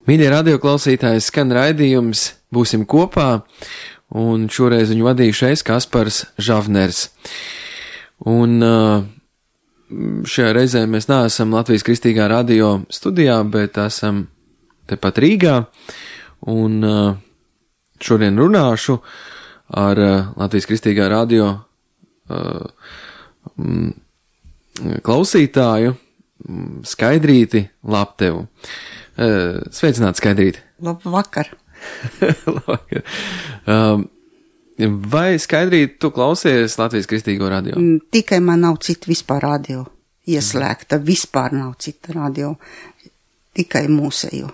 Mīļie radioklausītāji, skan raidījums Būsim kopā, un šoreiz viņu vadīšu es, Kaspars Žavners. Un šajā reizē mēs neesam Latvijas Kristīgā radio studijā, bet esam tepat Rīgā, un šodien runāšu ar Latvijas Kristīgā radio klausītāju Skaidrīti Laptevu. Sveicināt, Skaidrīti. Labvakar. Labvakar. Vai, Skaidrīti, tu klausies Latvijas Kristīgo radio? Tikai man nav cita vispār radio ieslēgta, vispār nav cita radio, tikai mūsējo.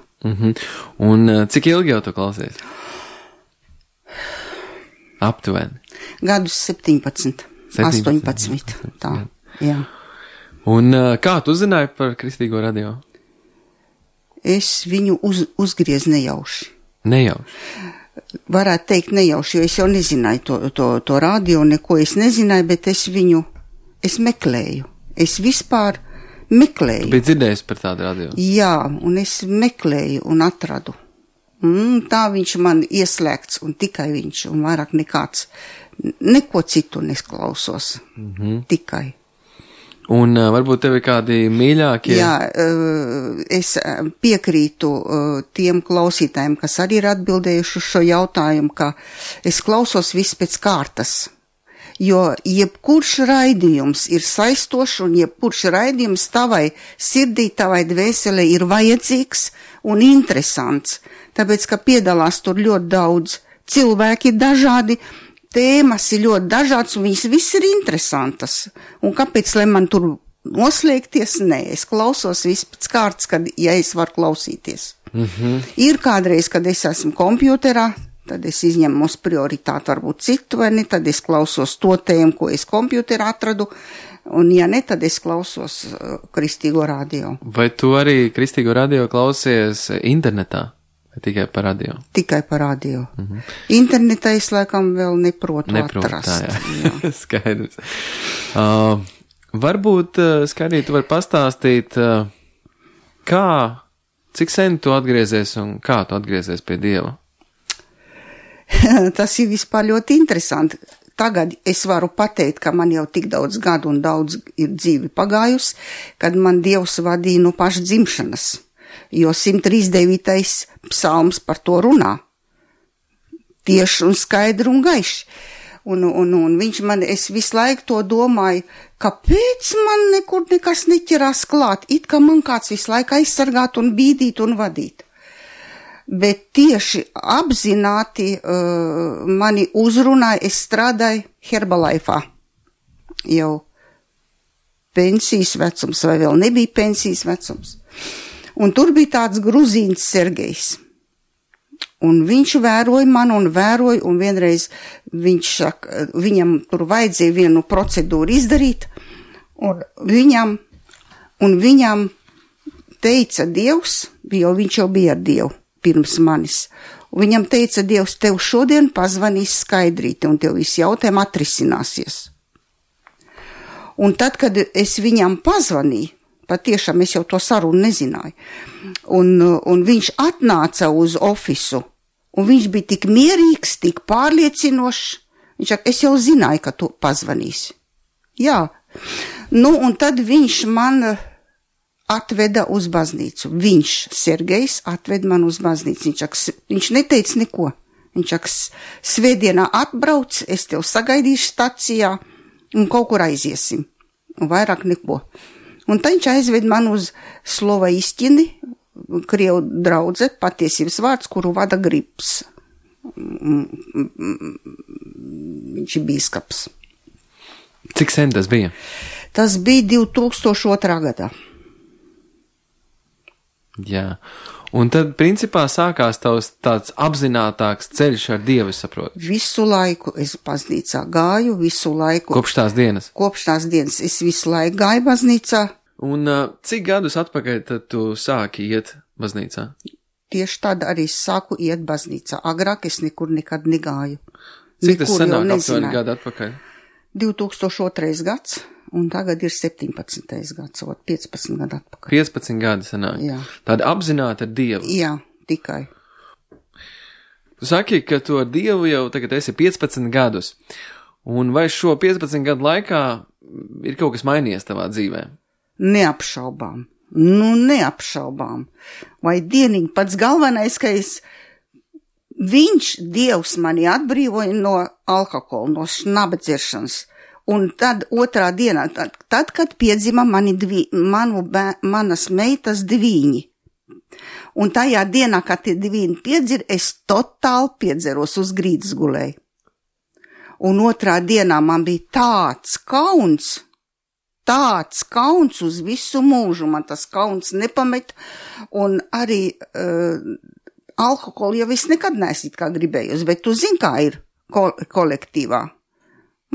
Un cik ilgi jau tu klausies? Aptuveni. Gadus 17, 18, tā, jā. Un kā tu uzzināji par Kristīgo radio? Es viņu uzgriezu nejauši. Nejauši? Varētu teikt nejauši, jo es jau nezināju to radio, neko es nezināju, bet es meklēju. Es vispār meklēju. Tu biji dzirdējis par tādu radio? Jā, un es meklēju un atradu. Tā viņš man ieslēgts, un tikai viņš, un vairāk nekāds, neko citu nesklausos. Tikai. Un varbūt tev ir kādi mīļākie? Jā, es piekrītu tiem klausītājiem, kas arī ir atbildējuši uz šo jautājumu, ka es klausos viss pēc kārtas, jo jebkurš raidījums ir saistošs un jebkurš raidījums tavai sirdī, tavai dvēselē ir vajadzīgs un interesants, tāpēc, ka piedalās tur ļoti daudz cilvēki dažādi, tēmas ir ļoti dažādas, un viņas viss ir interesantas. Un kāpēc, lai man tur noslēgties? Nē, es klausos viss pēc kārtas, ja es varu klausīties. Ir kādreiz, kad es esmu kompjuterā, tad es izņemu uz prioritāti varbūt citu, vai ne, tad es klausos to tēmu, ko es kompjuterā atradu, un ja ne, tad es klausos Kristīgo radio. Vai tu arī Kristīgo radio klausies internetā? Tikai par radio? Tikai par radio. Internetā es laikam vēl neprotu atrast. Jā. Skaidrs. Varbūt, Skaidrīt, tu vari pastāstīt, cik sen tu atgriezies un kā tu atgriezies pie Dieva? Tas ir vispār ļoti interesanti. Tagad es varu pateikt, ka man jau tik daudz gadu un daudz ir dzīvi pagājusi, kad man Dievs vadīja no paša dzimšanas. Jo 139. psalms par to runā. Tieši un skaidri un gaiši. Un viņš man, es visu laiku to domāju, kāpēc man nekur nekas neķerās klāt, it kā man kāds visu laiku aizsargāt un bīdīt un vadīt. Bet tieši apzināti mani uzrunāja, es strādāju Herbalife. Jau pensijas vecums, vai vēl nebija pensijas vecums. Un tur bija tāds gruzīns Sergejs. Un viņš vēroja man un vienreiz viņam tur vajadzēja vienu procedūru izdarīt, un viņam teica Dievs, jo viņš jau bija ar Dievu pirms manis, un viņam teica Dievs, tev šodien pazvanīs Skaidrīti, un tev viss jautājumi atrisināsies. Un tad, kad es viņam pazvanīju, patiešām es jau to sarunu nezināju. Un viņš atnāca uz ofisu, un viņš bija tik mierīgs, tik pārliecinošs. Viņš saka, es jau zināju, ka tu pazvanīsi. Jā. Un tad viņš man atveda uz baznīcu. Viņš, Sergejs, atveda man uz baznīcu. Viņš neteica neko. Viņš saka, svētdienā atbrauc, es tev sagaidīšu stacijā, un kaut kur aiziesim. Un vairāk neko. Un tad viņš aizved man uz Slova Istini, Krievu draudze, patiesības vārds, kuru vada Grips. Viņš ir bīskaps. Cik sen tas bija? Tas bija 2002. gadā. Jā. Un tad, principā, sākās tavs tāds apzinātāks ceļš ar Dievu, es saprotu. Visu laiku es baznīcā gāju, visu laiku. Kopš tās dienas? Kopš tās dienas es visu laiku gāju baznīcā. Un cik gadus atpakaļ tad tu sāki iet baznīcā? Tieši tad arī es sāku iet baznīcā. Agrāk es nekur nekad negāju. Cik tas sanāk aptuveni gadu atpakaļ? 2002. gads. Un tagad ir 17. gads, 15 gadu atpakaļ. 15 gadi sanāk. Jā. Tāda apzināta ar Dievu. Jā, tikai. Tu saki, ka tu ar Dievu jau tagad esi 15 gadus, un vai šo 15 gadu laikā ir kaut kas mainījies tavā dzīvē? Neapšaubām. Neapšaubām. Vai dienīgi pats galvenais, ka Dievs mani atbrīvoja no alkohola, no šnabadziršanas. Un tad otrā dienā, tad kad piedzima manas meitas dviņi. Un tajā dienā, kad tie dviņi piedzir, es totāli piedzeros uz grīdas gulēju. Un otrā dienā man bija tāds kauns uz visu mūžu, man tas kauns nepamet, un arī alkoholu jau es nekad neesmu kā gribējusi, bet tu zini, kā ir kolektīvā.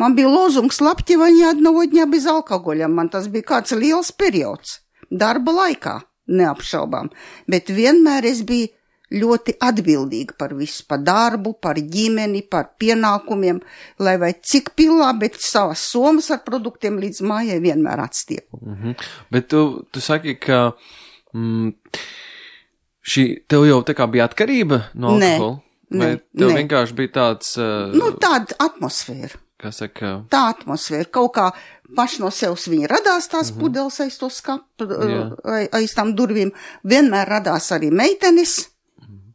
Man bija lozungs labķeva ни одного дня без alkohoļa, man tas bija kāds liels periods, darba laikā, neapšaubām, bet vienmēr es biju ļoti atbildīga par visu, par darbu, par ģimeni, par pienākumiem, lai vai cik pilā, bet savas somas ar produktiem līdz mājai vienmēr atstiepu. Bet tu saki, ka tev jau tā kā bija atkarība no alkohola? Vai tev vienkārši bija tāds... tāda atmosfēra. Kā saka? Tā atmosfēra. Kaut kā paši no sevis viņa radās tās pudeles aiz to skapu, aiz tām durvīm. Vienmēr radās arī meitenes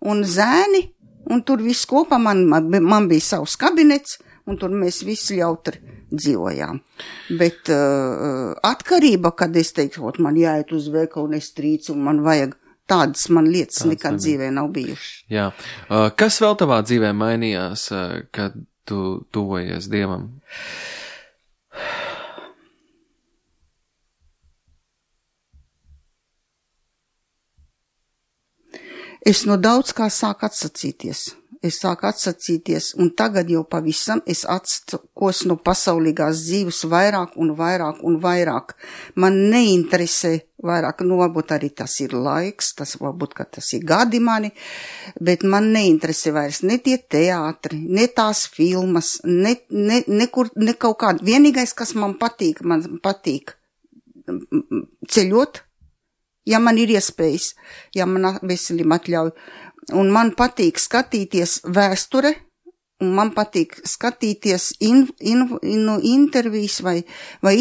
un zēni, un tur viss kopā man bija savs kabinets, un tur mēs visi jautri dzīvojām. Bet atkarība, kad es teiktu, man jāiet uz veikalu un es trīcu, un man vajag tādas man lietas nekad dzīvē nav bijušas. Jā. Kas vēl tavā dzīvē mainījās, kad tu tuvojies Dievam? Es no daudz kā sāku atsacīties. Un tagad jau pavisam es atsakos no pasaulīgās dzīves vairāk un vairāk. Man neinteresē vairāk, varbūt arī tas ir laiks, varbūt, ka tas ir gadi mani, bet man neinteresē vairs ne tie teātri, ne tās filmas, ne kaut kāda. Vienīgais, kas man patīk ceļot, ja man ir iespējas, ja man veselība atļauj. Un man patīk skatīties vēsture, un man patīk skatīties intervijas vai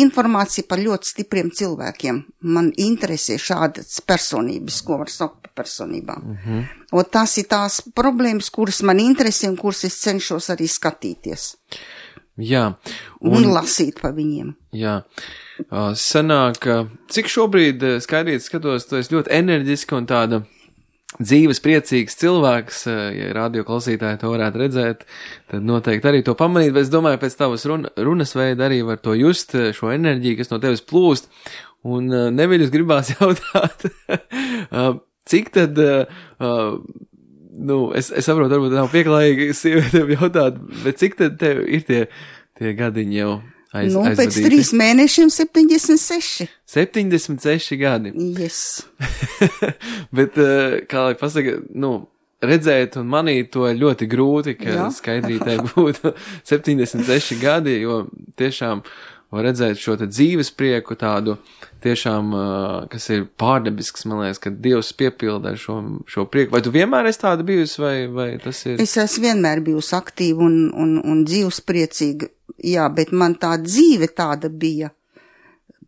informāciju par ļoti stipriem cilvēkiem. Man interesē šādas personības, ko var saukt par personībām. Un tās ir tās problēmas, kuras man interesē un kuras es cenšos arī skatīties. Jā. Un lasīt par viņiem. Jā. Sanāk, cik šobrīd skaidrīt skatos, tu esi ļoti enerģiska un tāda dzīves priecīgs cilvēks, ja radio klausītāji to varētu redzēt, tad noteikti arī to pamanīt, bet es domāju, pēc tavas runas veida arī var to just, šo enerģiju, kas no tevis plūst, un neviļus gribās jautāt, cik tad, es saprotu, varbūt nav pieklājīgi sievietēm jautāt, bet cik tad tev ir tie gadiņi jau aizvadīti? Pēc 3 mēnešiem 76. 76 gadi. Yes. Bet, kā lai pasaka, redzēt un manīt to ir ļoti grūti, ka skaidrītē būtu 76 gadi, jo tiešām var redzēt šo te dzīves prieku tādu tiešām, kas ir pārdebisks, man liekas, ka Dievs piepilda šo prieku. Vai tu vienmēr esi tāda bijusi, vai tas ir? Es esmu vienmēr bijusi aktīva un dzīves priecīga, jā, bet man tā dzīve tāda bija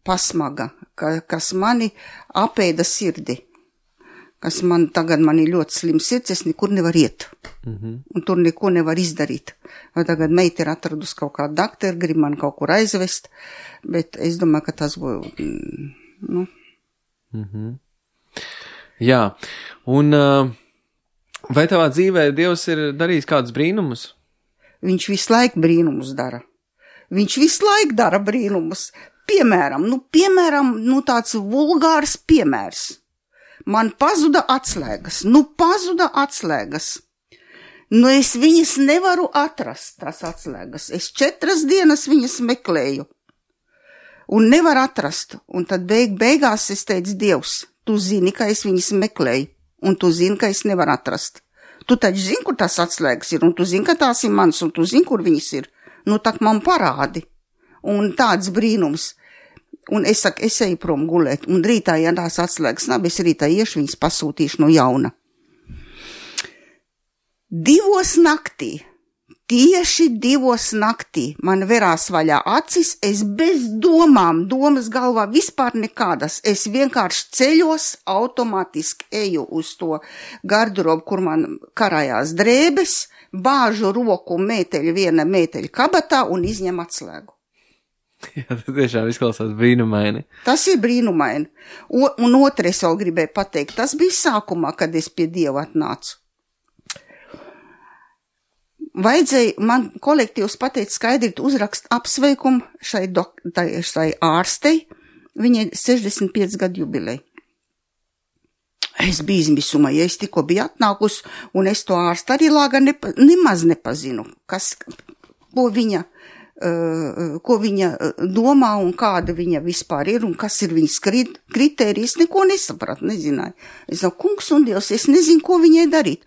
pasmaga, kas mani apēda sirdi, kas tagad man ir ļoti slims sirds, es nekur nevar iet, un tur neko nevar izdarīt. Vai tagad meita ir atradusi kaut kādu dakteru, grib man kaut kur aizvest, bet es domāju, ka tas būtu, Jā, un vai tavā dzīvē Dievs ir darījis kādus brīnumus? Viņš visu laiku brīnumus dara. Viņš visu laiku dara brīnumus. Piemēram, tāds vulgārs piemērs. Man pazuda atslēgas. Es viņas nevaru atrast, tās atslēgas. Es 4 dienas viņas meklēju. Un nevaru atrast. Un tad beigās es teicu, Dievs, tu zini, ka es viņas meklēju. Un tu zini, ka es nevaru atrast. Tu taču zini, kur tās atslēgas ir. Un tu zini, ka tās ir mans. Un tu zini, kur viņas ir. Tak man parādi. Un tāds brīnums. Un es saku, es eju prom gulēt. Un rītā, ja tās atslēgas nav, es rītā iešu viņas pasūtīšu no jauna. 2 naktī, tieši 2 naktī man verās vaļā acis, es bez domām, domas galvā vispār nekādas, es vienkārši ceļos, automātiski eju uz to garderobu, kur man karājās drēbes, bāžu roku viena mēteļa kabatā un izņem atslēgu. Jā, tas tiešām izklausās brīnumaini. Tas ir brīnumaini. Un otrais vēl gribēju pateikt, tas bija sākumā, kad es pie Dieva atnācu. Vajadzēja, man kolektīvs pateica skaidri uzrakst apsveikumu šai ārstei, viņai 65 gadu jubilei. Es biju izmisumā, ja es tikko biju atnākus, un es to ārstu arī lāga nemaz nepazinu, ko viņa domā un kāda viņa vispār ir un kas ir viņas kritērijas, neko nesapratu, nezināju. Es saku, kungs un Dievs, es nezinu, ko viņai darīt.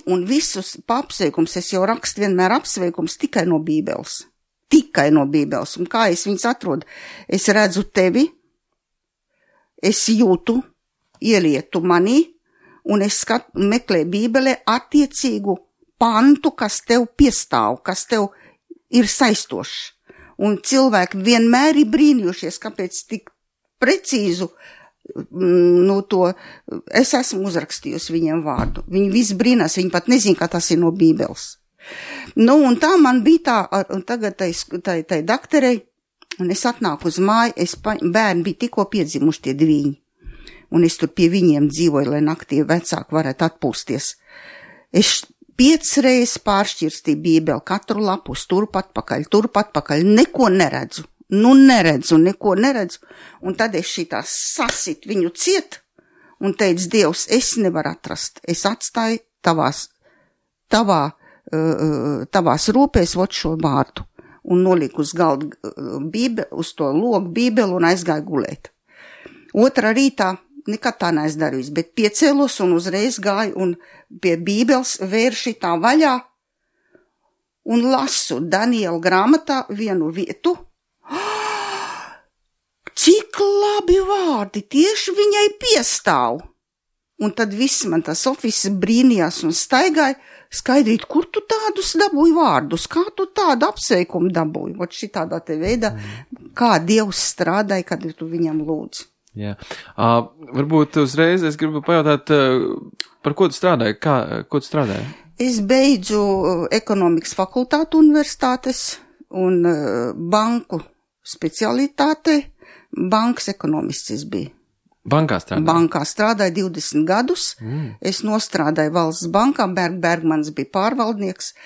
Un visus apsveikums, es jau rakstu vienmēr apsveikums tikai no Bībeles. Tikai no Bībeles. Un kā es viņas atrodu? Es redzu tevi, es jūtu, ielietu manī, un es meklēju Bībelē attiecīgu pantu, kas tev piestāv, kas tev ir saistošs. Un cilvēki vienmēr ir brīnījušies, kāpēc tik precīzu to es esmu uzrakstījusi viņiem vārdu. Viņi visi brīnās, viņi pat nezin, kā tas ir no Bībeles. Un tā man bija tā, un tagad tai dakterei, un es atnāku uz māju, bērni bija tikko piedzimuši tie 2, un es tur pie viņiem dzīvoju, lai naktī vecāki varētu atpūsties. Es 5 reizes pāršķirstīju Bībeli, katru lapus, turp atpakaļ, neko neredzu. Neko neredzu. Un tad es šitā sasit viņu ciet un teicu, Dievs, es nevaru atrast. Es atstāju tavās rūpēs vot šo vārdu. Un noliku uz galdu uz to logu Bībeli un aizgāju gulēt. Otrā rītā nekad tā neesmu darījusi, bet piecēlos un uzreiz gāju un pie Bībeles vēru šitā vaļā un lasu Daniela grāmatā vienu vietu. Cik labi vārdi, tieši viņai piestāv. Un tad viss man tas ofis brīnījās un staigāja, skaidrīt, kur tu tādus dabūji vārdus, kā tu tādu apsveikumu dabūji, ot šitādā te veidā, kā Dievs strādāja, kad tu viņam lūdzi. Jā. Varbūt uzreiz es gribu pajautāt, par ko tu strādāji? Ko tu strādāji? Es beidzu ekonomikas fakultātu universitātes un banku specialitāte, bankas ekonomists es biju. Bankā strādāju? Bankā strādāju 20 gadus. Es nostrādāju valsts bankā, Bergmans bija pārvaldnieks,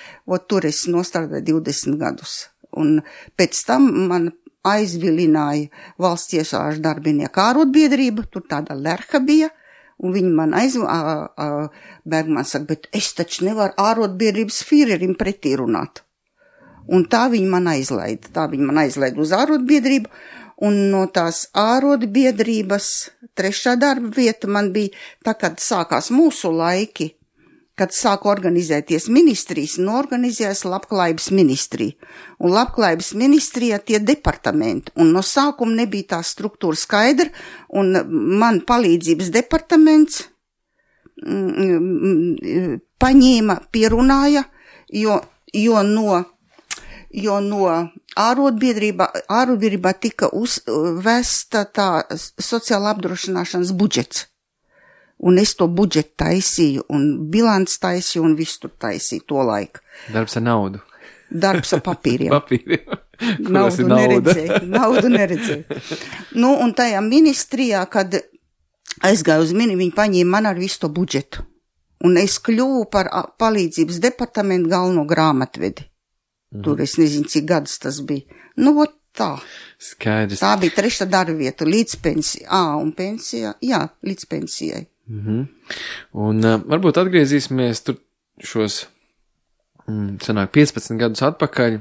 tur es nostrādāju 20 gadus. Un pēc tam man aizvilināja valsts iestāžu darbinieku ārotbiedrība, tur tāda lerha bija, un viņi man Bergmans saka, bet es taču nevaru ārotbiedrības Führerim pretī runāt. Un tā viņi man aizlaida uz ārotbiedrību, un no tās ārotbiedrības 3. darba vieta man bija, tā kad sākās mūsu laiki, kad sāku organizēties ministrijas, organizējās labklājības ministrija. Un labklājības ministrijā tie departamenti, un no sākuma nebija tā struktūra skaidra, un man palīdzības departaments paņēma, pierunāja, jo no ārotbiedrībā tika uzvesta tā sociāla apdrošināšanas budžets. Un es to budžetu taisīju, un bilants taisīju, un visu tur taisīju to laiku. Darbs ar naudu. Darbs ar papīriem. Naudu neredzēju. Un tajā ministrijā, kad aizgāju uz viņi paņēma man ar visu to budžetu. Un es kļuvu par palīdzības departamentu galveno grāmatvedi. Tur es nezinu, cik gadus tas bija. Tā. Skaidrs. Tā bija 3. darba vieta līdz pensijai. Un pensijā, jā, līdz pensijai. Un varbūt atgriezīsimies tur šos, sanāk, 15 gadus atpakaļ.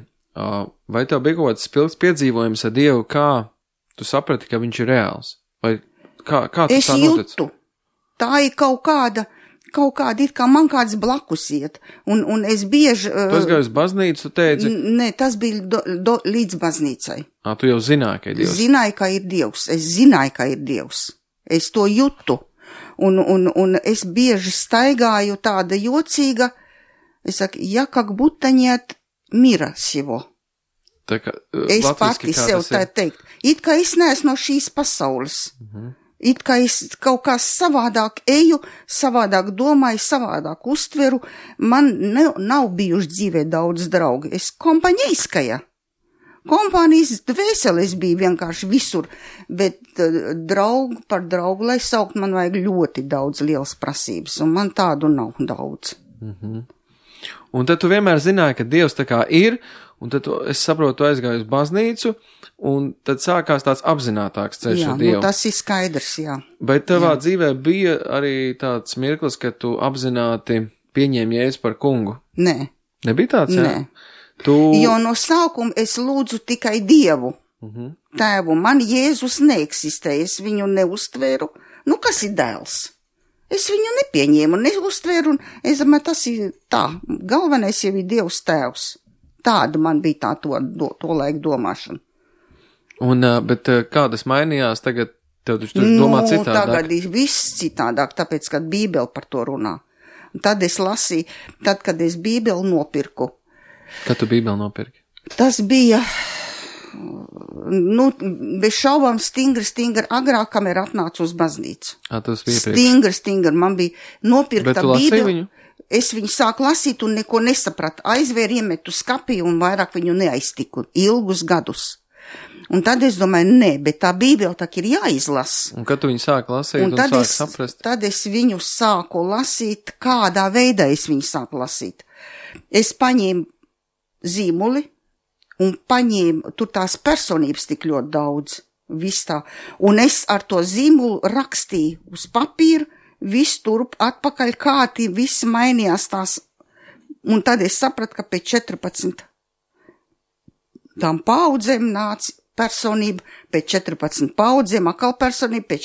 Vai tev bija kaut kāds spilgts piedzīvojums ar Dievu, kā tu saprati, ka viņš ir reāls? Vai kā tu es tā notic? Jūtu. Tā ir kaut kāda, it kā man kāds blakus iet. Un es bieži... Tu aizgāji uz baznīcu, tu teici? Nē, tas bija līdz baznīcai. Tu jau zināji, ka ir Dievs? Zināju, ka ir Dievs. Es zināju, ka ir Dievs. Es to jūtu. Un es bieži staigāju tāda jocīga, Es saku, ja как будто нет mira всего. Tā kā, Es pati sev tā teikt. It kā es neesmu no šīs pasaules. It kā es kaut kā savādāk eju, savādāk domāju, savādāk uztveru. Man nav bijuši dzīvē daudz draugi. Es kompaņeiskaja. Kompānijas dvēseles bija vienkārši visur, bet par draugu, lai saukt, man vajag ļoti daudz lielas prasības, un man tādu nav daudz. Un tad tu vienmēr zināji, ka Dievs tā kā ir, un tad es saprotu, tu aizgāji uz baznīcu, un tad sākās tāds apzinātāks ceļš ar Dievu. Jā, tas ir skaidrs, jā. Bet tavā dzīvē bija arī tāds mirklis, ka tu apzināti pieņēmi Jēzu par kungu? Nē. Nebija tāds, jā? Nē. Jo no sākuma es lūdzu tikai Dievu. Tēvu, man Jēzus neeksistē, es viņu neuztveru. Nu, kas ir dēls? Es viņu nepieņēmu, neuztveru, un es domāju, tas ir tā. Galvenais jau ir Dievs tēvs. Tāda man bija tā to laiku domāšana. Un, bet kā tas mainījās tagad? Tev taču domā citādāk? Tagad ir viss citādāk, tāpēc, kad Bībele par to runā. Un tad es lasīju, kad es Bībeli nopirku. Kad tu Bībeli nopirki? Tas bija, bez šaubām stingri agrāk, kamēr atnācu uz baznīcu. Tas bija priekš. Stingri, man bija nopirkta Bībeli. Viņu? Es viņu sāku lasīt un neko nesapratu. Aizvēru, iemetu skapī un vairāk viņu neaiztiku ilgus gadus. Un tad es domāju, bet tā Bībele tā ir jāizlas. Un kad tu viņu sāki lasīt un sāki saprast? Tad es viņu sāku lasīt, kādā veidā es viņu sāku lasīt. Es paņēmu zīmuli un paņēmu, tur tās personības tik ļoti daudz, viss tā. Un es ar to zīmulu rakstīju uz papīru, viss turp atpakaļ, kādi viss mainījās tās. Un tad es sapratu, ka pēc 14 tām paudzēm nāca personība, pēc 14 paudzēm atkal personība, pēc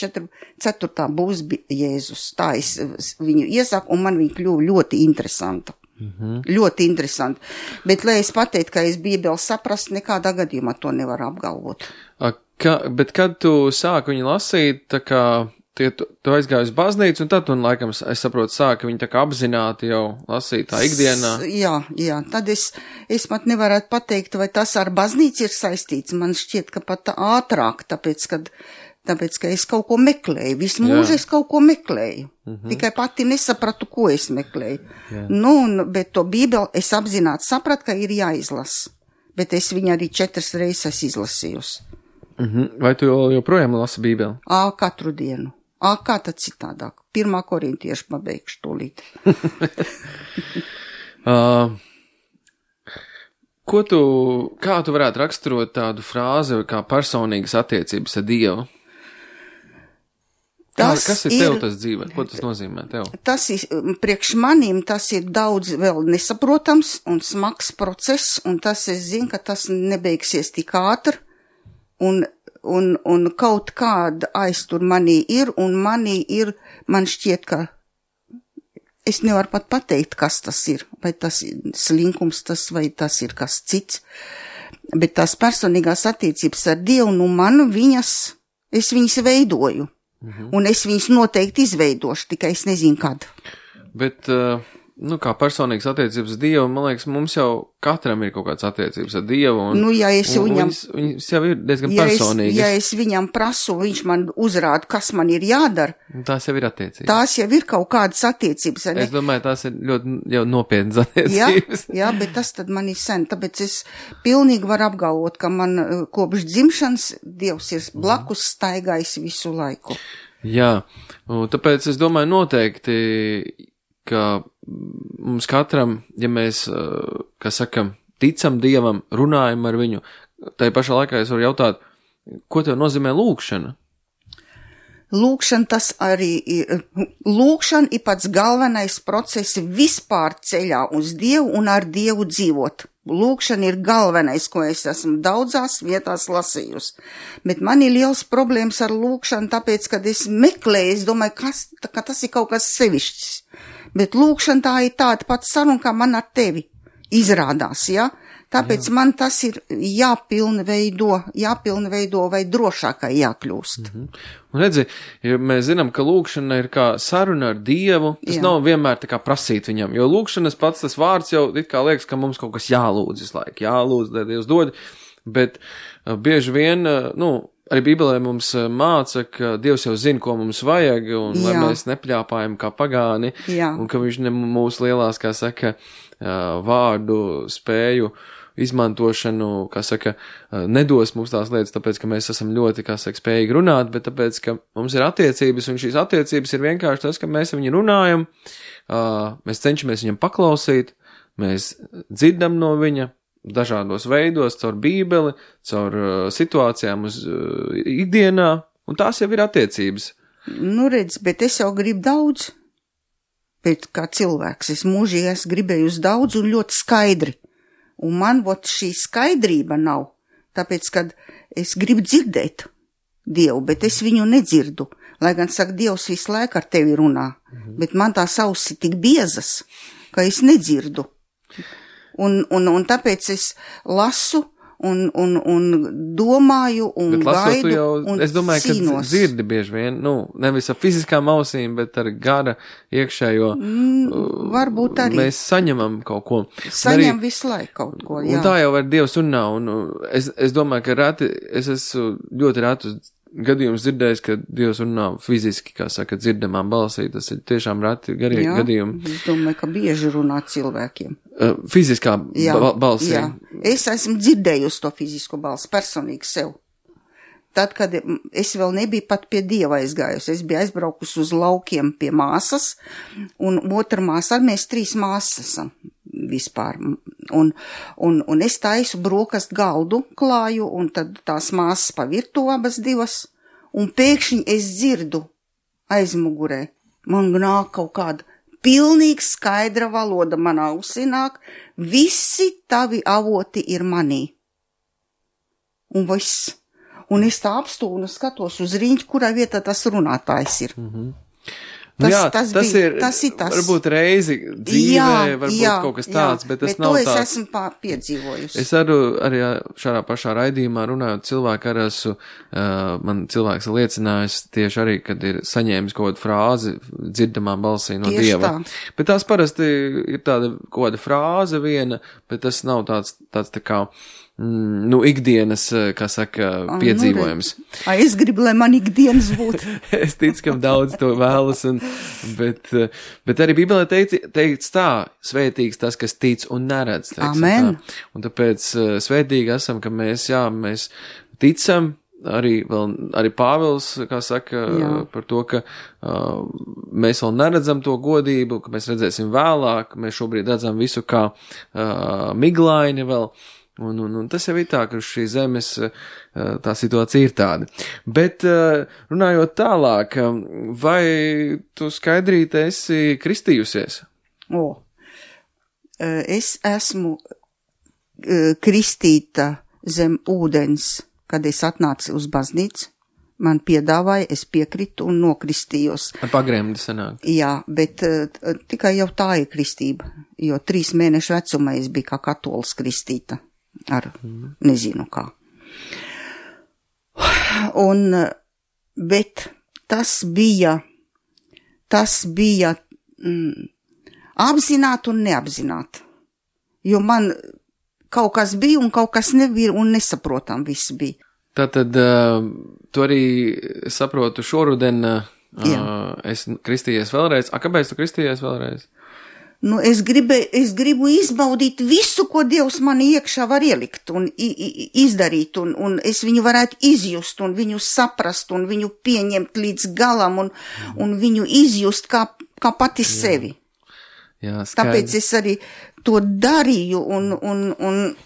4 būs Jēzus. Tā es viņu iesaku, un man viņa kļuva ļoti interesanta. Ļoti interesanti. Bet, lai es pateiktu, ka es Bībeli saprast, nekādā gadījumā to nevar apgalvot. Bet kad tu sāki viņu lasīt, tā kā tu aizgāji uz baznīcu, un tad tu, laikam, es saprotu, sāki viņu tā kā apzināti jau lasīt tā ikdienā. Jā, tad es pat nevarētu pateikt, vai tas ar baznīcu ir saistīts. Man šķiet, ka pat ātrāk, tāpēc, ka es kaut ko meklēju. Visu mūžu es kaut ko meklēju. Tikai pati nesapratu, ko es meklēju. Bet to Bībeli es apzināti sapratu, ka ir jāizlasa. Bet es viņu arī 4 reizes izlasījusi. Vai tu joprojām lasi Bībeli? Katru dienu. Kā tad citādāk? 1. Korintiešu pabeigšu tūlīt. Kā tu varētu raksturot tādu frāzi kā personīgas attiecības ar Dievu? Kas ir tev tas dzīvē? Ko tas nozīmē tev? Tas ir, priekš manīm, tas ir daudz vēl nesaprotams un smags process, un tas es zinu, ka tas nebeigsies tik ātri, un kaut kāda aiztur manī ir, un man šķiet, ka es nevaru pat pateikt, kas tas ir, vai tas ir slinkums, vai tas ir kas cits, bet tās personīgās attiecības ar Dievu, es viņas veidoju. Un es viņus noteikti izveidošu, tikai es nezinu, kad. Bet, kā personīgas attiecības ar Dievu, man liekas, mums jau katram ir kaut kāds attiecības ar Dievu. Viņas jau ir diezgan personīgas. Ja es viņam prasu, viņš man uzrāda, kas man ir jādara. Tās jau ir attiecības. Tās jau ir kaut kādas attiecības. Es domāju, tās ir ļoti jau nopietnas attiecības. Jā, bet tas tad man ir sen, tāpēc es pilnīgi varu apgalvot, ka man kopš dzimšanas Dievs ir blakus staigājis visu laiku. Jā, tāpēc es domāju noteikti, ka mums katram, ja mēs, ticam Dievam, runājam ar viņu, tai pašā laikā es varu jautāt, ko tev nozīmē lūgšana? Lūgšana tas arī ir, lūgšana ir pats galvenais process vispār ceļā uz Dievu un ar Dievu dzīvot. Lūgšana ir galvenais, ko es esmu daudzās vietās lasījusi. Bet man ir liels problēmas ar lūgšanu, tāpēc, kad es meklēju, es domāju, ka tas ir kaut kas sevišķs. Bet lūgšana tā ir tāda pati saruna, kā man ar tevi izrādās, ja? Tāpēc man tas ir jāpilnveido vai drošākai jākļūst. Un redzi, ja mēs zinām, ka lūkšana ir kā saruna ar Dievu, tas nav vienmēr tā kā prasīt viņam, jo lūkšanas pats tas vārds jau it kā liekas, ka mums kaut kas jālūdz visu laiku, jālūdz, lai Dievs dod, bet bieži vien, arī Bībelē mums māca, ka Dievs jau zina, ko mums vajag, un lai mēs nepļāpājam kā pagāni, un ka viņš ne mūsu lielās, kā saka, vārdu spēju izmantošanu, kā saka, nedos mums tās lietas, tāpēc, ka mēs esam ļoti, kā saka, spējīgi runāt, bet tāpēc, ka mums ir attiecības, un šīs attiecības ir vienkārši tas, ka mēs viņu runājam, mēs cenšamies viņam paklausīt, mēs dzirdam no viņa dažādos veidos, caur Bībeli, caur situācijām uz ikdienā, un tās jau ir attiecības. Redz, bet es jau gribu daudz, bet kā cilvēks, es mūžīgi esmu gribējusi daudz un ļoti skaidri. Un man šī skaidrība nav, tāpēc, kad es gribu dzirdēt Dievu, bet es viņu nedzirdu. Lai gan saka, Dievs visu laiku ar tevi runā, bet man tās ausis tik biezas, ka es nedzirdu. Un tāpēc es lasu un domāju un gaidu un es domāju, cīnos. Ka dzirdi bieži vien, nevis ar fiziskām ausīm, bet ar gara iekšējo. Varbūt arī. Mēs saņemam kaut ko. Saņem visu laiku kaut ko, jā. Un tā jau ar Dievs runā, un es domāju, ka es esmu ļoti rētu gadījums dzirdējis, ka Dievs runā fiziski, kā saka, dzirdamā balsī, tas ir tiešām reti gadījumi. Es domāju, ka bieži runā cilvēkiem. Fiziskā balsī. Jā, es esmu dzirdējusi to fizisko balsi personīgi sev. Tad, kad es vēl nebiju pat pie Dieva aizgājusi, es biju aizbraukusi uz laukiem pie māsas, un otra māsa, mēs 3 māsas esam vispār. Un es taisu brokastu galdu klāju, un tad tās māsas pa virtuvi abas 2, un pēkšņi es dzirdu aizmugurē. Man nāk kaut kāda pilnīgi skaidra valoda manā ausī nāk, visi tavi avoti ir manī. Un viss. Un es tā apstūnu un skatos uz riņķi, kurā vietā tas runātājs ir. Tas ir tas. Varbūt reizi dzīvē, varbūt kaut kas tāds, bet tas nav tāds. Bet to es esmu piedzīvojusi. Es arī šādā pašā raidījumā runājot cilvēku ar esmu, man cilvēks liecinājis tieši arī, kad ir saņēmis kaut kādu frāzi dzirdamā balsī no tieši Dieva. Tā. Bet tās parasti ir tāda kaut kāda frāze viena, bet tas nav tāds tā kā ikdienas, kā saka, piedzīvojums. Es gribu, lai man ikdienas būtu. Es ticu, ka daudz to vēlas, bet arī Bībelē teikts tā, svētīgs tas, kas tic un neredz. Amen. Tā. Un tāpēc svētīgi esam, ka mēs ticam, arī Pāvils, kā saka, par to, ka mēs vēl neredzam to godību, ka mēs redzēsim vēlāk, mēs šobrīd redzam visu kā miglaini vēl. Un tas jau ir tā, ka uz šīs zemes tā situācija ir tāda. Bet runājot tālāk, vai tu Skaidrīte esi kristījusies? Es esmu kristīta zem ūdens, kad es atnācu uz baznīcu. Man piedāvāja, es piekritu un nokristījos. Ar pagremdi sanāk. Jā, bet tikai jau tā ir kristība, jo 3 mēnešu vecumā es biju kā katolis kristīta. Ar nezinu kā. Bet tas bija apzināti un neapzināti, jo man kaut kas bija un kaut kas nebija un nesaprotam viss bija. Tātad, tu arī saprotu šoruden, es kristījies vēlreiz. Kāpēc tu kristījies vēlreiz? Es gribu izbaudīt visu, ko Dievs man iekšā var ielikt un izdarīt, un es viņu varētu izjust, un viņu saprast, un viņu pieņemt līdz galam, un viņu izjust kā pati sevi. Jā, skaidrs. Tāpēc es arī to darīju, un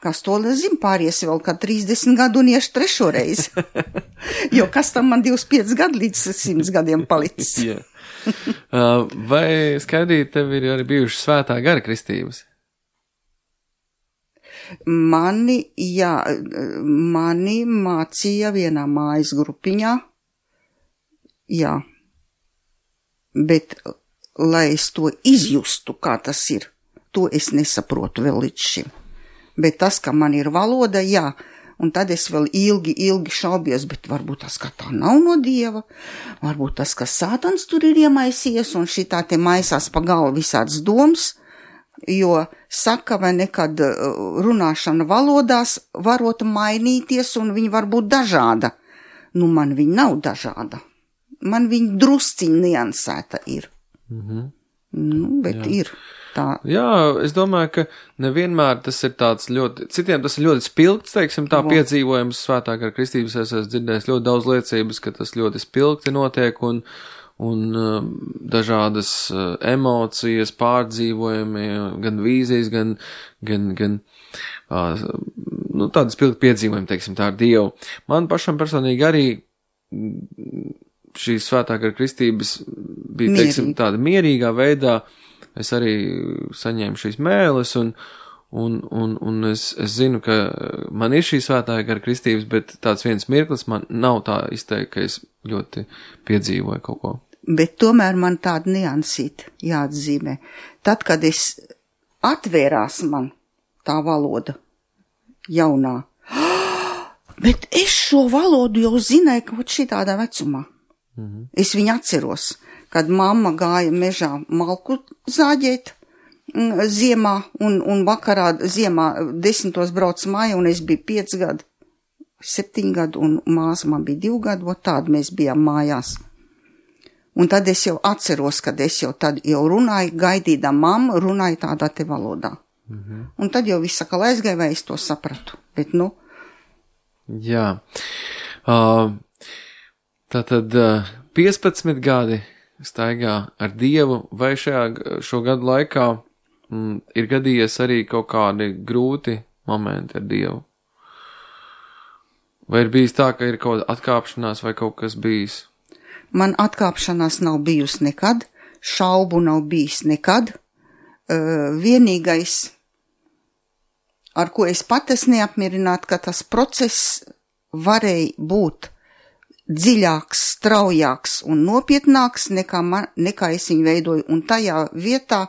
kas to zin, pāries vēl kā 30 gadu un iešu 3. reizi. Jo kas tam man 25 gadu līdz 100 gadiem palicis. Yeah. Vai Skaidrīt, tev ir arī bijušas svētā gara kristības? Mani mācīja vienā mājas grupiņā, jā, bet lai es to izjustu, kā tas ir, to es nesaprotu vēl līdz šim. Bet tas, ka man ir valoda, jā, un tad es vēl ilgi šaubies, bet varbūt tas, ka tā nav no Dieva, varbūt tas, ka Sātans tur ir iemaisījies, un šitā te maisās pa galvu visāds domas, jo saka, vai nekad runāšana valodās varot mainīties, un viņa var būt dažāda. Nu, man viņa nav dažāda. Man viņa drusciņ niansēta ir. Nu, bet jā. Ir. Tā. Jā, es domāju, ka nevienmēr tas ir tāds ļoti, citiem tas ir ļoti spilgts, teiksim, tā piedzīvojums svētā gara kristības, es esmu dzirdējis ļoti daudz liecības, ka tas ļoti spilgti notiek un dažādas emocijas, pārdzīvojumi, gan vīzijas, gan tādas spilgti piedzīvojumi, teiksim, tā ar Dievu. Man pašam personīgi arī šī svētā gara kristības bija, teiksim, tāda mierīgā veidā. Es arī saņēmu šīs mēles, un es zinu, ka man ir šī svētā gara kristības, bet tāds viens mirklis man nav tā izteikt, ka es ļoti piedzīvoju kaut ko. Bet tomēr man tāda niansīta jāatzīmē. Tad, kad es atvērās man tā valoda jaunā, bet es šo valodu jau zināju kaut šitādā vecumā. Es viņu atceros. Kad mamma gāja mežā malku zāģēt ziemā un vakarā ziemā 10. brauc māja un es biju 5 gadu, 7 gadu un māsa man bija 2 gadu, tādi mēs bijām mājās. Un tad es jau atceros, kad es jau tad jau runāju, gaidīdā mamma runāju tādā te valodā. Un tad jau viss sakal aizgāja, vai es to sapratu. Bet nu. Jā. Tātad 15 gadi staigā ar Dievu, vai šo gadu laikā ir gadījies arī kaut kādi grūti momenti ar Dievu? Vai ir bijis tā, ka ir kaut kāda atkāpšanās vai kaut kas bijis? Man atkāpšanās nav bijusi nekad, šaubu nav bijis nekad. Vienīgais, ar ko es pat esmu neapmierināta, ka tas process varēja būt dziļāks, straujāks un nopietnāks nekā es viņu veidoju. Un tajā vietā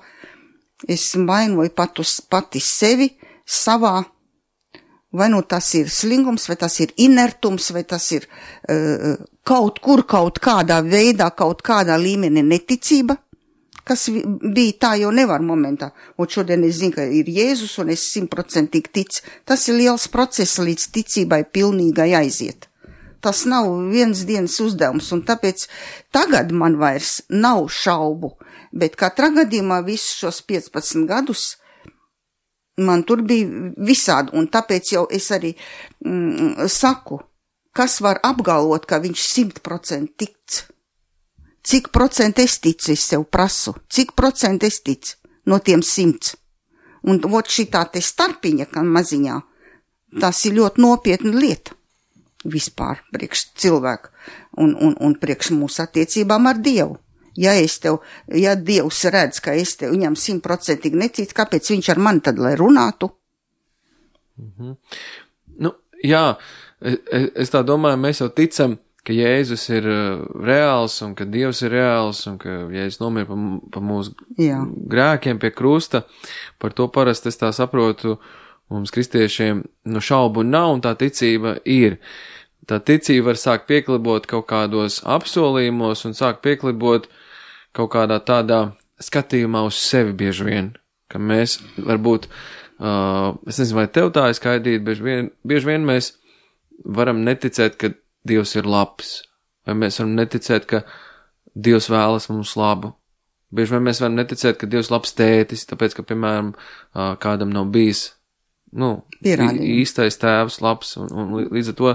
es vainoju pati sevi savā, vai nu tas ir slingums, vai tas ir inertums, vai tas ir kaut kādā veidā, kaut kādā līmenī neticība, kas bija tā jau nevar momentā. Un šodien es zinu, ka ir Jēzus un es 100% ticu. Tas ir liels process līdz ticībai pilnīgai aiziet. Tas nav viens dienas uzdevums, un tāpēc tagad man vairs nav šaubu, bet katrā gadījumā visus šos 15 gadus man tur bija visādi, un tāpēc jau es arī saku, kas var apgalvot, ka viņš 100% tic. Cik procentu es ticu, es sev prasu, cik procentu es ticu no tiem 100. Un šitā te starpiņa, kā maziņā, tas ir ļoti nopietna lieta. Vispār priekš cilvēku un priekš mūsu attiecībām ar Dievu. Ja Dievs redz, ka es tev viņam 100% neticu, kāpēc viņš ar mani tad, lai runātu? Nu, jā, es tā domāju, mēs jau ticam, ka Jēzus ir reāls un ka Dievs ir reāls un ka Jēzus nomira pa mūsu grēkiem pie krusta. Par to parasti es tā saprotu, mums kristiešiem šaubu nav un tā ticība ir. Tā ticība var sākt pieklibot kaut kādos apsolījumos un sākt pieklibot kaut kādā tādā skatījumā uz sevi bieži vien, ka mēs varbūt, es nezinu, vai tev tā ir skaidīt, bieži vien mēs varam neticēt, ka Dievs ir labs, vai mēs varam neticēt, ka Dievs vēlas mums labu. Bieži vien mēs varam neticēt, ka Dievs labs tētis, tāpēc, ka, piemēram, kādam nav bijis īstais tēvs labs, un līdz ar to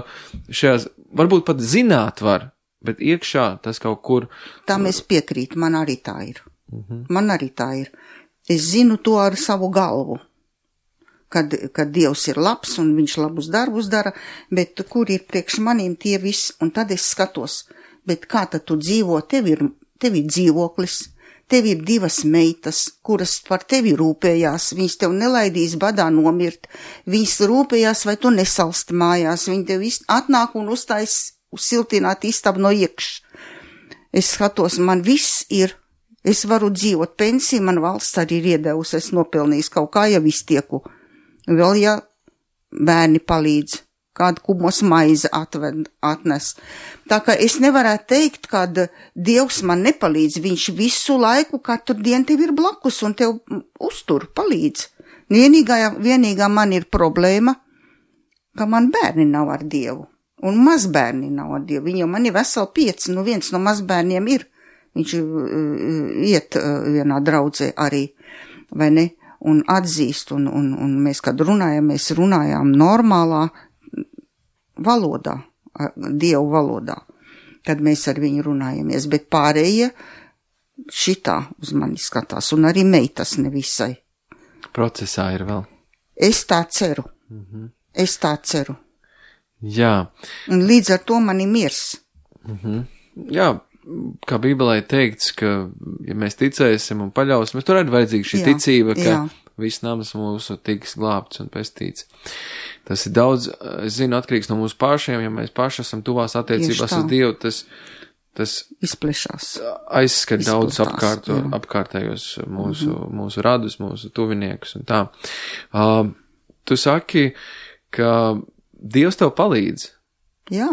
šajās, varbūt pat zināt var, bet iekšā tas kaut kur. Tam es piekrītu, man arī tā ir. Man arī tā ir. Es zinu to ar savu galvu, kad Dievs ir labs un viņš labus darbus dara, bet kur ir priekš manīm tie visi, un tad es skatos, bet kā tad tu dzīvo, tev ir dzīvoklis, tev ir 2 meitas, kuras par tevi rūpējās, viņas tev nelaidīs badā nomirt, viņas rūpējās, vai tu nesalsti mājās, viņi tev atnāk un uztais siltināt istabu no iekš. Es skatos, man viss ir Es varu dzīvot pensiju, man valsts arī ir iedevusi, es nopelnījis kaut kā jau iztieku. Vēl ja bērni palīdz, kādu kubos maizi atnes. Tā kā es nevarētu teikt, kad Dievs man nepalīdz, viņš visu laiku, katru dienu tev ir blakus un tev uztur, palīdz. Vienīgā man ir problēma, ka man bērni nav ar Dievu, un mazbērni nav ar Dievu. Viņi jau man ir veseli 5, viens no mazbērniem ir, viņš iet vienā draudzē arī, vai ne, un atzīst, un mēs, kad mēs runājām normālā valodā, Dievu valodā, kad mēs ar viņu runājamies, bet pārējie šitā uz mani skatās, un arī meitas nevisai. Procesā ir vēl. Es tā ceru. Es tā ceru. Jā. Un līdz ar to man ir miers. Jā, kā Bībelē teikts, ka, ja mēs ticēsim un paļausimies, tur ir vajadzīga šī ticība, ka viss nams mūsu tiks glābts un pestīts. Tas ir daudz, es zinu, atkarīgs no mūsu pašiem, ja mēs paši esam tuvās attiecībās uz Dievu, tas izplešās. Aizskat daudz apkārtējos mūsu radus, mūsu tuviniekus un tā. Tu saki, ka Dievs tev palīdz. Jā.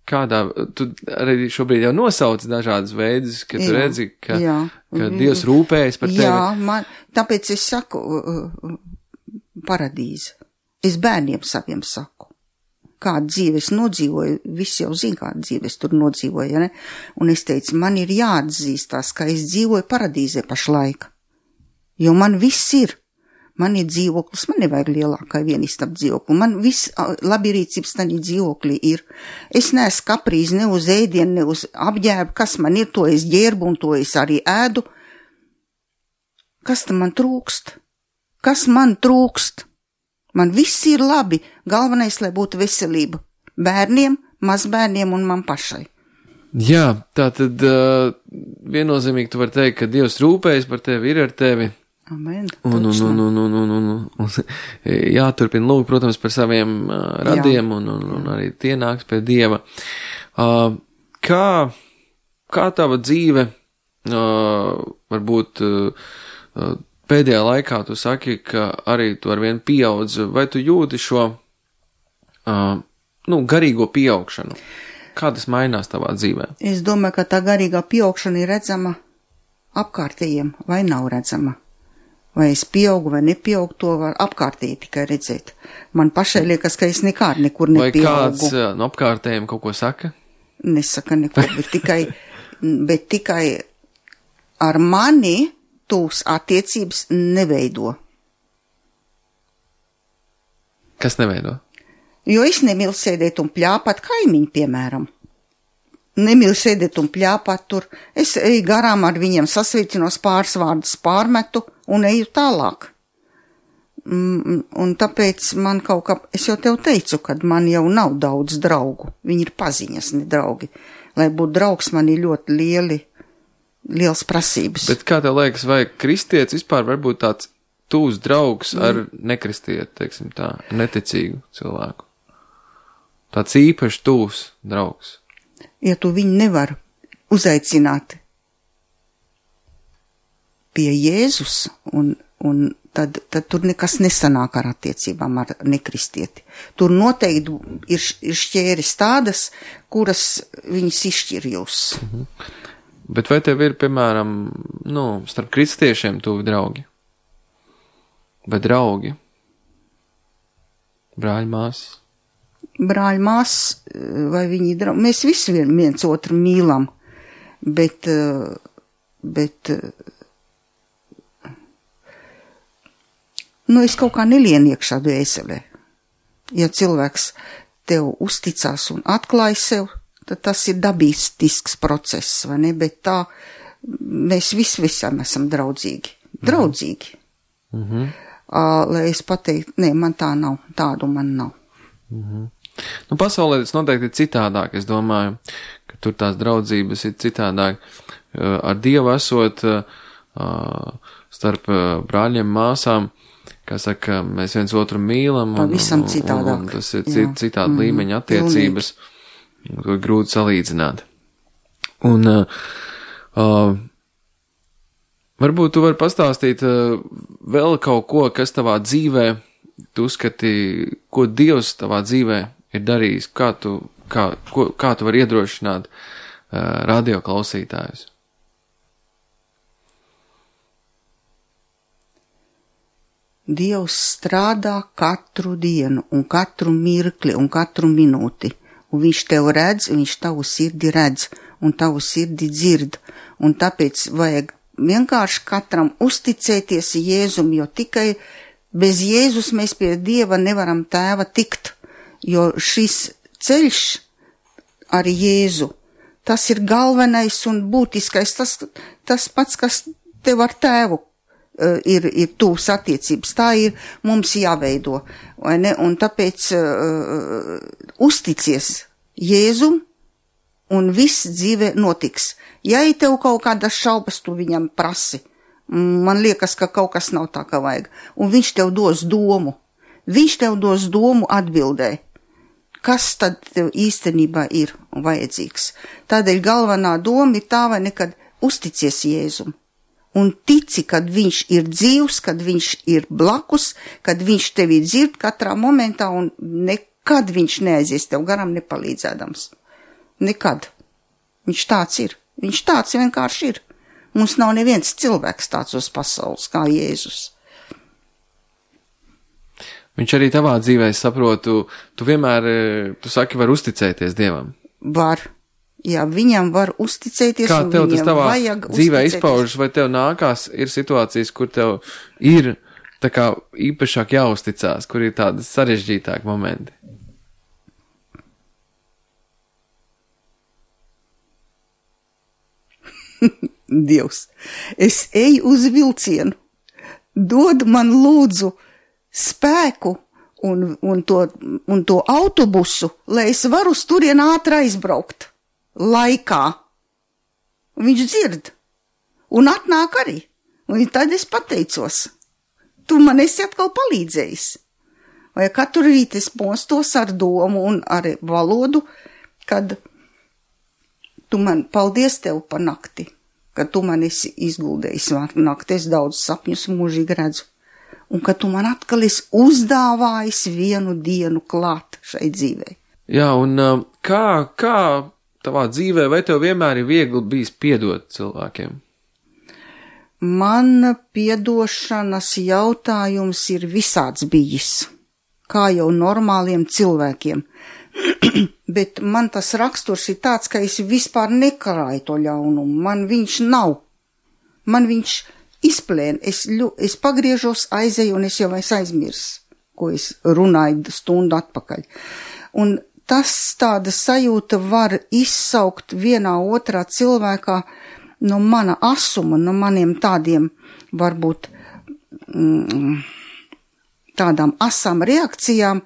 Kādā, tu arī šobrīd jau nosauc dažādas veidus, ka tu redzi, ka Dievs rūpējas par tevi. Jā, tāpēc es saku paradīze. Es bērniem saviem saku, kādu dzīvi es nodzīvoju, visi jau zina, kādu dzīvi es tur nodzīvoju, ja ne? Un es teicu, man ir jāatzīstās, ka es dzīvoju paradīzē pašlaik, jo man viss ir. Man ir dzīvoklis, man nevajag lielākai vienistab dzīvokli, man viss labierīcības tādā dzīvoklī ir. Es neesmu kaprīz ne uz ēdienu, ne uz apģērbu, kas man ir, to es ģērbu un to es arī ēdu. Kas tam man trūkst? Kas man trūkst? Man viss ir labi, galvenais, lai būtu veselība. Bērniem, mazbērniem un man pašai. Jā, tā tad viennozīmīgi tu vari teikt, ka Dievs rūpējas par tevi, ir ar tevi. Amen. Un jāturpina lūgt, protams, par saviem radiem un arī tie nāks pie Dieva. Kā tava dzīve, varbūt pēdējā laikā tu saki, ka arī tu arvien pieaudz, vai tu jūti šo, garīgo pieaugšanu? Kā tas mainās tavā dzīvē? Es domāju, ka tā garīgā pieaugšana ir redzama apkārtējiem, vai nav redzama. Vai es pieaugu vai nepieaugu, to var apkārtēji tikai redzēt. Man pašai liekas, ka es nekur nepieaugu. Vai kāds no apkārtējiem kaut ko saka? Nesaka neko, bet tikai ar mani tūs attiecības neveido. Kas neveido? Jo es nemilu sēdēt un pļāpāt kaimiņu, piemēram. Nemilu sēdēt un pļāpāt tur. Es eju garām ar viņiem sasveicinos, pāris vārdus pārmetu un eju tālāk. Un tāpēc man kaut kā, es jau tev teicu, kad man jau nav daudz draugu. Viņi ir paziņas, ne draugi. Lai būtu draugs, man ir ļoti liels prasības. Bet kā tev liekas, vai kristietis vispār var būt tāds tūs draugs ar nekristieti, teiksim tā, neticīgu cilvēku? Tāds īpaši tūs draugs. Ja tu viņu nevar uzaicināt pie Jēzus, un tad tur nekas nesanāk ar attiecībām ar nekristieti. Tur noteikti ir šķēres tādas, kuras viņas izšķir jūs. Bet vai tev ir, piemēram, starp kristiešiem tuvi draugi? Vai draugi? Brāļi, māsas? Brāļi, māsas, vai viņi draugi? Mēs visi viens otru mīlam, bet es kaut kā nelienu iekšā dvēselē. Ja cilvēks tev uzticās un atklāj sev, tad tas ir dabisks process, vai ne? Bet tā, mēs visam esam draudzīgi. Draudzīgi. Lai es pateiktu, nē, man tā nav, tādu man nav. Pasaulē tas noteikti ir citādāk, es domāju, ka tur tās draudzības ir citādāk. Ar Dievu esot starp brāļiem, māsām, kā saka, mēs viens otru mīlam, pavisam citādāk. Un tas ir citāda līmeņa attiecības, to ir grūti salīdzināt. Un Varbūt tu vari pastāstīt vēl kaut ko, kas tavā dzīvē, tu uzskati, ko Dievs tavā dzīvē ir darījis, kā tu vari iedrošināt radio klausītājus? Dievs strādā katru dienu un katru mirkli un katru minūti, un viņš tev redz, viņš tavu sirdi redz un tavu sirdi dzird, un tāpēc vajag vienkārši katram uzticēties Jēzum, jo tikai bez Jēzus mēs pie Dieva nevaram Tēva tikt, jo šis ceļš ar Jēzu, tas ir galvenais un būtiskais, tas pats, kas tev ar Tēvu ir tūs attiecības, tā ir mums jāveido, vai ne, un tāpēc uzticies Jēzum, un viss dzīve notiks. Ja ir tev kaut kādas šaubas, tu viņam prasi. Man liekas, ka kaut kas nav tā, kā vajag. Un viņš tev dos domu. Viņš tev dos domu atbildē. Kas tad tev īstenībā ir vajadzīgs? Tādēļ galvenā doma ir tā, vai nekad uzticies Jēzum. Un tici, kad viņš ir dzīvs, kad viņš ir blakus, kad viņš tevi dzird katrā momentā un nekad viņš neaizies tev garām nepalīdzēdams. Nekad. Viņš tāds ir. Viņš tāds vienkārši ir. Mums nav neviens cilvēks tāds uz pasaules kā Jēzus. Viņš arī tavā dzīvē, saprotu, tu vienmēr, tu saki, var uzticēties Dievam. Var. Jā, viņam var uzticēties. Kā tev tas tavā dzīvē izpaužas, vai tev nākās, ir situācijas, kur tev ir tā kā īpašāk jāuzticās, kur ir tādi sarežģītāki momenti? Dievs, es eju uz vilcienu, dod man lūdzu spēku un to autobusu, lai es varu uz turien ātri aizbraukt laikā. Un viņš dzird un atnāk arī, un tad es pateicos, tu man esi atkal palīdzējis. Vai katru rītu es mostos ar domu un ar valodu, kad tu man paldies tev pa nakti, ka tu man esi izguldējis nakti, es daudz sapņus mūžīgi redzu, un ka tu man atkal esi uzdāvājis vienu dienu klāt šai dzīvei. Jā, un kā tavā dzīvē, vai tev vienmēr ir viegli bijis piedot cilvēkiem? Man piedošanas jautājums ir visāds bijis, kā jau normāliem cilvēkiem. Bet man tas raksturs ir tāds, ka es vispār nekarāju to ļaunumu. Man viņš nav. Man viņš izplēna. Es pagriežos, aizēju un es jau aizmirsu, ko es runāju stundu atpakaļ. Un tas tāda sajūta var izsaukt vienā otrā cilvēkā no mana asuma, no maniem tādiem varbūt tādām asām reakcijām,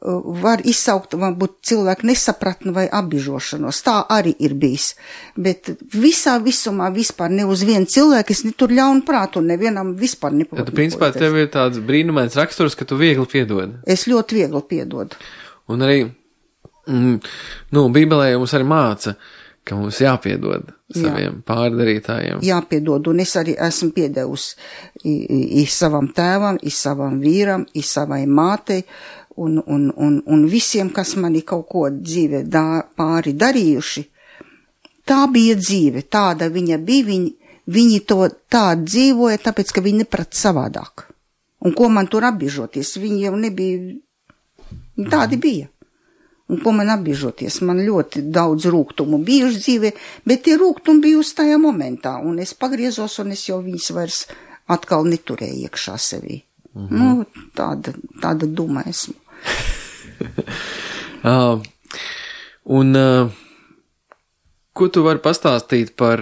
var izsaukt, varbūt cilvēku nesapratni vai apbižošanos. Tā arī ir bijis. Bet visā visumā vispār ne uz vienu cilvēku es netur ļaunu prātu un nevienam vispār nepavadu. Tad, principā, tev ir tāds brīnumains raksturs, ka tu viegli piedod. Es ļoti viegli piedodu. Un arī, Bībelē mums arī māca, ka mums jāpiedod saviem pārdarītājiem. Jāpiedod, un es arī esmu piedevusi savam tēvam, savam vīram, savai mātei, un visiem, kas mani kaut ko dzīvē pāri darījuši. Tā bija dzīve, tāda viņa bija, viņi to tā dzīvoja, tāpēc, ka viņi neprat savādāk. Un ko man tur apbiežoties, viņi jau nebija, tādi bija. Un ko man apbiežoties, man ļoti daudz rūgtumu bijuši dzīvē, bet tie rūgtumi bijusi tajā momentā, un es pagriezos, un es jau viņus vairs atkal neturēju iekšā sevī. Tāda duma esmu. Ko tu vari pastāstīt par,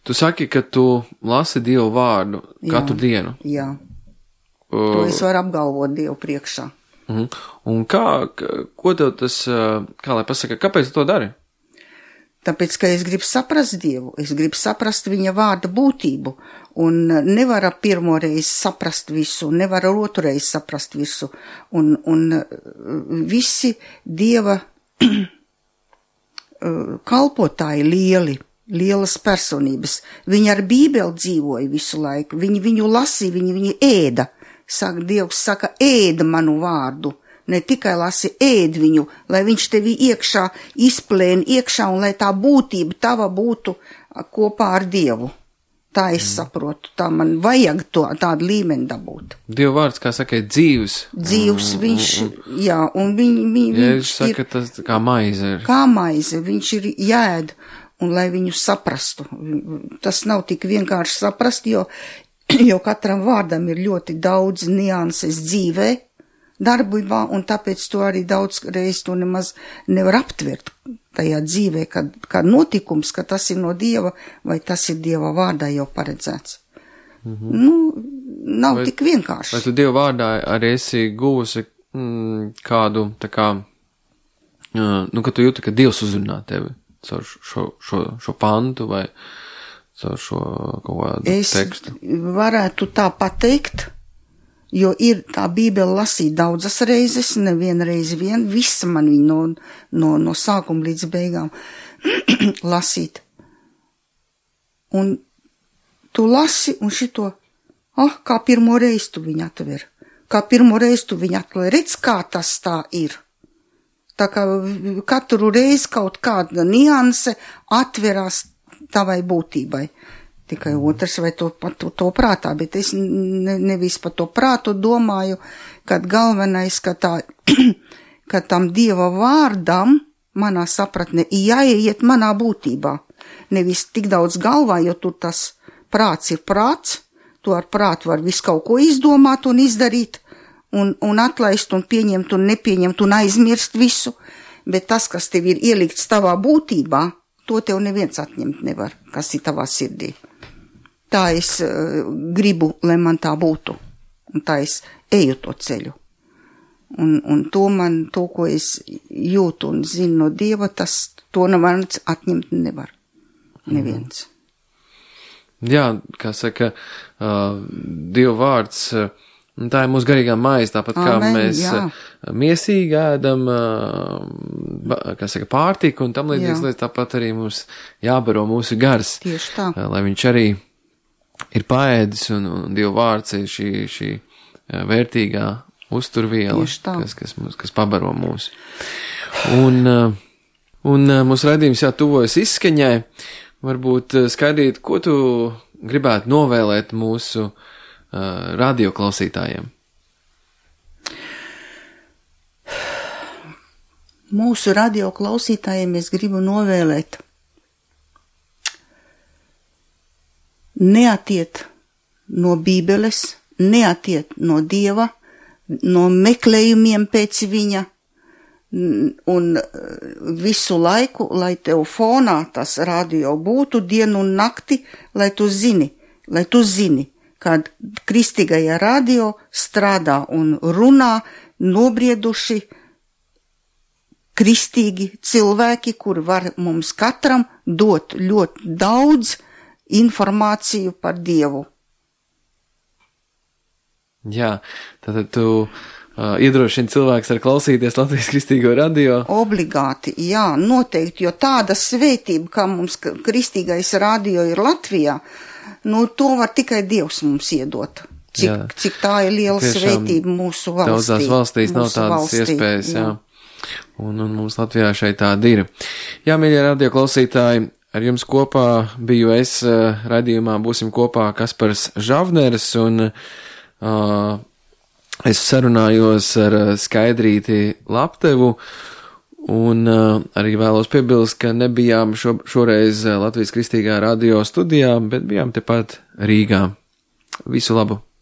tu saki, ka tu lasi Dievu vārdu katru dienu. Jā, to es varu apgalvot Dievu priekšā. Un ko tev tas, kā lai pasaka, kāpēc tu to dari? Tāpēc, ka es gribu saprast Dievu, es gribu saprast viņa vārda būtību, un nevaru pirmoreiz saprast visu, nevaru otrreiz saprast visu, un visi Dieva kalpotāji lieli, lielas personības. Viņi ar Bībeli dzīvoja visu laiku, viņi viņu lasīja, viņi ēda. Dievs saka, ēda manu vārdu, ne tikai lasi, ēd viņu, lai viņš tevi iekšā izplēn iekšā un lai tā būtība tava būtu kopā ar Dievu. Tā es saprotu, tā man vajag tādu līmeni dabūt. Dieva vārds, kā saka, ir dzīvs. Dzīvs viņš, jā, un viņš saka, ir, tas kā maize ir. Kā maize, viņš ir jāēd, un lai viņu saprastu. Tas nav tik vienkārši saprast, jo katram vārdam ir ļoti daudz nianses dzīvē, darbībā, un tāpēc to arī daudz reiz to nemaz nevar aptvert tajā dzīvē, kad notikums, ka tas ir no Dieva, vai tas ir Dieva vārdā jau paredzēts. Nav tik vienkārši. Vai tu Dieva vārdā arī esi guvusi kādu, tā kā, ka tu jūti, ka Dievs uzrunā tevi caur šo pantu vai caur šo kaut kādu tekstu? Es varētu tā pateikt, jo ir tā Bībele lasīt daudzas reizes, neviena reize vien, visa man viņa no sākuma līdz beigām lasīt. Un tu lasi, un šito, kā pirmo reizi tu viņu atver. Kā pirmo reizi tu viņu atver. Redz, kā tas tā ir. Tā kā katru reizi kaut kāda nianse atverās tavai būtībai. Tikai otrs vai to prātā, bet es nevis par to prātu domāju, kad galvenais, ka tam Dieva vārdam manā sapratne jāiet manā būtībā. Nevis tik daudz galvā, jo tur tas prāts ir prāts, tu ar prātu var visu kaut ko izdomāt un izdarīt, un atlaist un pieņemt un nepieņemt un aizmirst visu, bet tas, kas tev ir ielikts tavā būtībā, to tev neviens atņemt nevar, kas ir tavā sirdī. Tā es gribu, lai man tā būtu, un tā es eju to ceļu. Un to, ko es jūtu un zinu no Dieva, to neviens atņemt nevar. Neviens. Jā, kā saka, Dieva vārds, tā ir mūsu garīgā maize, tāpat kā mēs miesīgi ēdam, kā saka, pārtiku un tam līdzīgas lietas, tāpat arī mums jābaro mūsu gars. Tieši tā. Lai viņš arī ir paēdis un Dieva vārds ir šī vērtīgā uzturviela, kas pabaro mūs. Un mūsu raidījums tuvojas izskaņai. Varbūt skaidrīt, ko tu gribētu novēlēt mūsu radioklausītājiem? Mūsu radioklausītājiem es gribu novēlēt neatiet no Bībeles, neatiet no Dieva, no meklējumiem pēc viņa, un visu laiku, lai tev fonā tas radio būtu dienu un nakti, lai tu zini, kad kristīgajā radio strādā un runā nobrieduši kristīgi cilvēki, kuri var mums katram dot ļoti daudz informāciju par Dievu. Jā, tātad tu iedrošini cilvēks ar klausīties Latvijas kristīgo radio? Obligāti, jā, noteikti, jo tāda svētība, kā mums kristīgais radio ir Latvijā, to var tikai Dievs mums iedot. Cik tā ir liela svētība mūsu valstī. Daudzās valstīs nav tādas iespējas, jā. Un mums Latvijā šeit tāda ir. Jā, mīļie radio klausītāji, ar jums kopā biju es, raidījumā būsim kopā Kaspars Žavneris, un es sarunājos ar Skaidrīti Laptevu, un arī vēlos piebilst, ka nebijām šoreiz Latvijas kristīgā radio studijā, bet bijām tepat Rīgā. Visu labu!